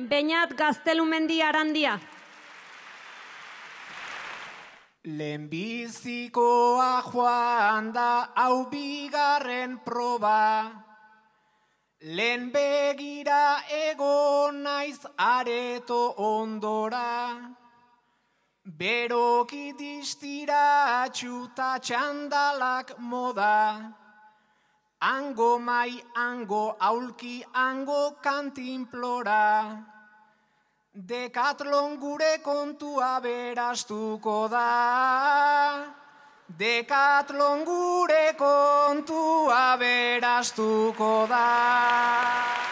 Beñat Gaztelumendi Arandia. Lehenbizikoa joan da hau bigarren proba, lehen begira egon naiz areto ondora, beroki distiratxu ta txandalak moda, hango mai, hango aulki, hango kantinplora. Dekatlon gure kontua berastuko da. Dekatlon gure kontua berastuko da.